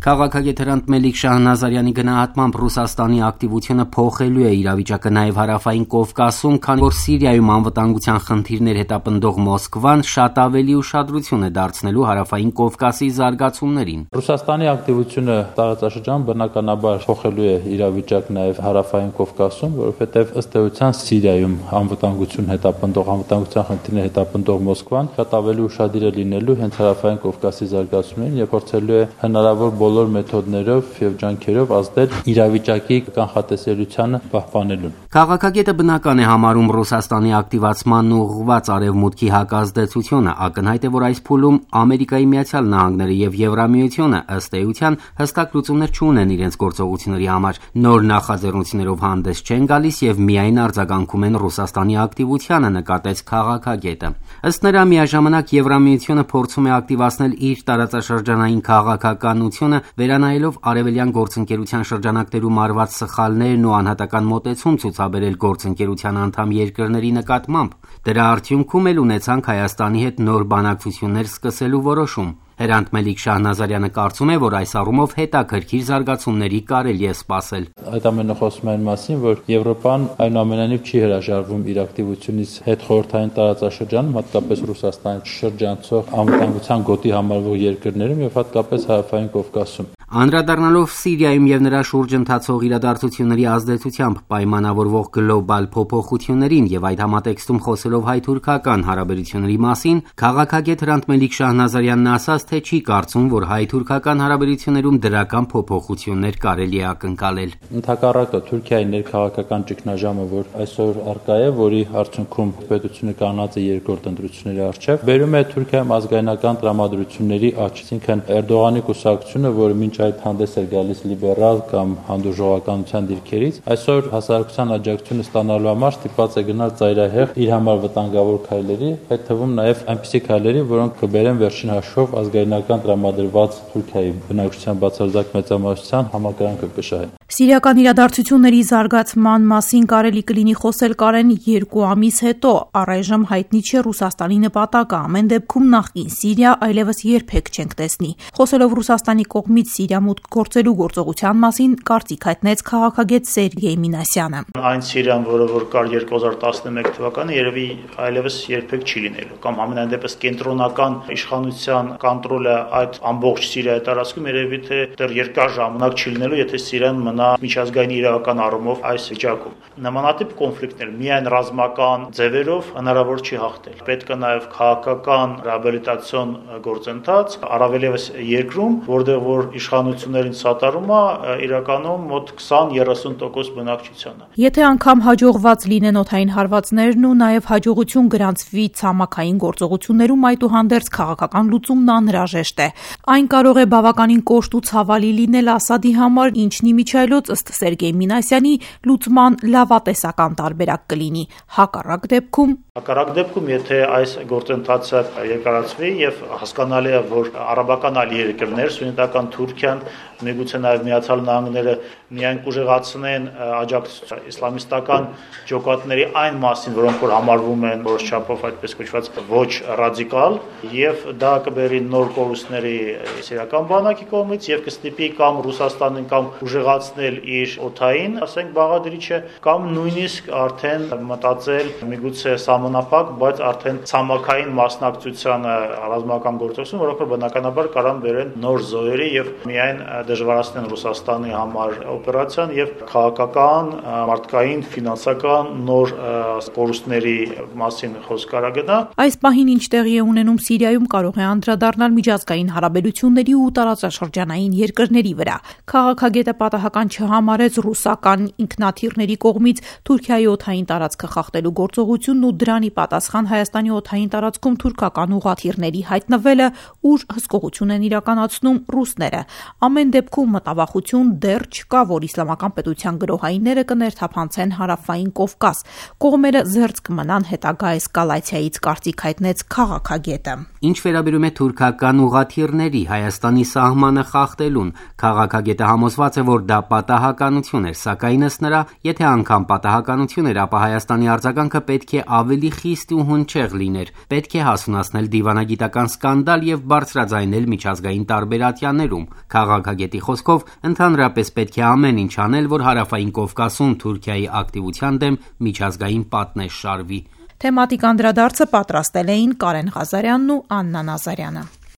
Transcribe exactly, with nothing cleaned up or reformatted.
Քաղաքագետ Հրանտ Մելիք Շահնազարյանի գնահատմամբ Ռուսաստանի ակտիվությունը փոխելու է իրավիճակը նաև հարավային Կովկասում, քանի որ Սիրիայում անվտանգության խնդիրներ հետապնդող Մոսկվան շատ ավելի ուշադրություն է դարձնելու հարավային Կովկասի զարգացումներին։ Ռուսաստանի ակտիվությունը տարածաշրջանում բնականաբար փոխելու է իրավիճակը նաև հարավային Կովկասում, որովհետև ըստ էության Սիրիայում անվտանգություն հետապնդող անվտանգության խնդիրներ հետապնդող Մոսկվան շատ ավելի ուշադիր է լինելու հենց հարավային Կովկասի զարգացումներին եւ փորձելու է հնարավոր բոլոր մեթոդներով եւ ջանքերով ազդել իրավիճակի կանխատեսելիությանը պահպանելուն։ Քաղաքագետը բնական է համարում Ռուսաստանի ակտիվացման ուղղված արևմուտքի հակազդեցությունը, ակնհայտ է, որ այս փուլում Ամերիկայի Միացյալ Նահանգները եւ Եվրամիությունը ըստ էության հստակ լուծումներ չունեն իրենց գործողությունների համար, նոր նախաձեռնություններով հանդես չեն գալիս եւ միայն արձագանքում են Ռուսաստանի ակտիվությանը, նկատեց քաղաքագետը։ Ըստ նրա, միաժամանակ Եվրամիությունը փորձում է ակտիվացնել իր տարածաշրջանային քաղաքականությունը, վերանայելով արևելյան գործընկերության շրջանակներում արված սխալներն ու անհատական մոտեցում ցուցաբերել գործընկերության անդամ երկրների նկատմամբ։ Դրա արդյունքում էլ ունեցանք Հայաստանի հետ նոր բանակցություններ սկսելու որոշում։ Հրանտ Մելիք Շահնազարյանը կարծում է, որ այս առումով հետաքրքիր զարգացումների կարելի է սպասել։ Այդ ամենը խոսում է այն մասին, որ Եվրոպան այնուամենայնիվ չի հրաժարվում իր ակտիվությունից հետ խորհրդային տարածաշրջանում, հատկապես Ռուսաստանի շրջանցող անվտանգության գոտի համարվող երկրներում եւ հատկապես հարավային Կովկասում։ Անդրադառնալով Սիրիայում եւ նրա շուրջ ընթացող իրադարձությունների ազդեցությամբ պայմանավորվող գլոբալ փոփոխություններին եւ այդ համատեքստում խոսելով հայ-թուրքական հարաբերությունների մասին, քաղաքագետ Հրանտ Մելիք Շահնազարյանն ասաց, թե չի կարծում, որ հայ-թուրքական հարաբերություններում դրական փոփոխություններ կարելի է ակնկալել։ Ընդհակառակը Թուրքիայի ներքաղաքական ճգնաժամը, որ այսօր առկա է, որի արդյունքում պետությունը կանած է երկրորդ ընտրությունների առջև, բերում է Թուրքիայում ազգայնական տրամադրությունների աճ, այսինքն Էրդողանի կուսակցությունը, որը մինչ այդ հանդես էր գալիս լիբերալ կամ հանդուրժողականության դիրքերից, այսօր հասարակության աջակցությունը ստանալու համար ստիպված է գնալ ծայրահեղ իր համար վտանգավոր քայլերի, այդ թվում նաև այնպիսի քայլերի, որոնք կբերեն վերջին հաշվով ազգայնական տրամադրված Թուրքիայի բնակչության բացարձակ մեծամասնության համակրանքը կշահեն։ Սիրիական իրադարձությունների զարգացման մասին կարելի կլինի խոսել կարեն երկու ամիս հետո, առայժմ հայտնի չէ Ռուսաստանի նպատակը, ամեն դեպքում նախկին Սիրիա այլևս երբեք չենք տեսնի։ Խոսելով Ռուսաստանի կողմից Սիրիա մուտք գործելու գործողության մասին կարծիք հայտնեց քաղաքագետ Սերգեյ Մինասյանը։ Այն Սիրիան, որը որ կար երկու հազար տասնմեկ թվականին, երևի այլևս երբեք չի լինելու, կամ ամենայն դեպս կենտրոնական իշխանության կոնտրոլը այդ ամբողջ Սիրիայի տարածքում երևի թե դեռ երկար ժամանակ չի լինելու, եթե Սիրիան մնա միջազգային իրավական առումով այս վիճակում։ Նմանատիպ կոնֆլիկտներ միայն ռազմական ձևերով հնարավոր չի հաղթել։ Պետք է նաև քաղաքական ռեաբիլիտացիոն գործընթաց, առավել ևս երկրում, որտեղ որ իշխանություններին սատարում է իրականում մոտ քսան երեսուն տոկոս բնակչությանը։ Եթե անգամ հաջողված լինեն օդային հարվածներն ու նաև հաջողություն գրանցվի ցամաքային գործողություններում, այդուհանդերձ քաղաքական լուծումն անհրաժեշտ է։ Այն կարող է բավականին կոշտ ու ցավալի լինել Ասադի համար, ինչն իմիջիայլոց ըստ Սերգեյ Մինասյանի լուծման լավատեսական տարբերակ կլինի։ Հակառակ դեպքում Հակառակ դեպքում, եթե այս գործընթացը երկարացվի եւ հասկանալի է, որ արաբական այլ երկրներ, սուննիտական Թուրքիան, միգուցե նաև Միացյալ Նահանգները միայն կուժեղացնեն աջակցություն իսլամիստական ջոկատների այն մասին, որոնք որ համարվում են որոշ չափով այդպես կոչված ոչ ռադիկալ, եւ դա կբերի նոր կորուստների սիրիական բանակի կողմից եւ կստիպի կամ Ռուսաստանին կամ ուժեղացնել իր օդային, ասենք բաղադրիչը, կամ նույնիսկ արդեն մտածել միգուցե սահմանափակ, բայց արդեն ցամաքային մասնակցությանը ռազմական գործողություն, որոնք որ բնականաբար կարան բերեն նոր զոհերի եւ միայն դժվարացնեն Ռուսաստանի համար օպերացիան եւ քաղաքական, մարդկային, ֆինանսական նոր կորուստների մասին խոսք կարա գնա։ Այս պահին ինչ տեղի է ունենում Սիրիայում կարող է անդրադառնալ միջազգային հարաբերությունների ու տարածաշրջանային երկրների վրա։ Քաղաքագետը պատահական չհամարեց ռուսական ինքնաթիռների կողմից Թուրքիայի օդային տարածքը խախտելու գործողությունն ու դրանի պատասխան Հայաստանի օդային տարածքում թուրքական ուղղաթիռների հայտնվելը, ուր հսկողություն են իրականացնում ռուսները։ Ամեն դեպքում մտավախություն դեռ չկա, որ իսլամական պետության գրոհայինները կներթափանցեն հարավային Կովկաս։ Կողմերը զերծ կմնան հետագա էսկալացիայից, կարծիք հայտնեց քաղաքագետը։ Ինչ վերաբերում է թուրքական ուղղաթիռների Հայաստանի սահմանը խախտելուն, քաղաքագետը համոզված է, որ դա պատահականություն էր, սակայն ըստ նրա, եթե անգամ պատահականություն էր, ապա Հայաստանի արձագանքը պետք է ավելի խիստ ու հնչեղ լիներ, պետք է հասունացնել դիվանագիտական սկանդալ եւ բարձրաձայնել միջազգային տարբերատյաներում։ Քաղաքագետի խոսքով ընդհանրապես պետք է ամեն ինչ անել, որ հարավային Կովկասում Թուրքիայի ակտիվության դեմ միջազգային պատնեշ շարվի։ Թեմատիկ անդրադարձը պատրաստել էին Կարեն Ղազարյանն ու Աննա Նազարյանը։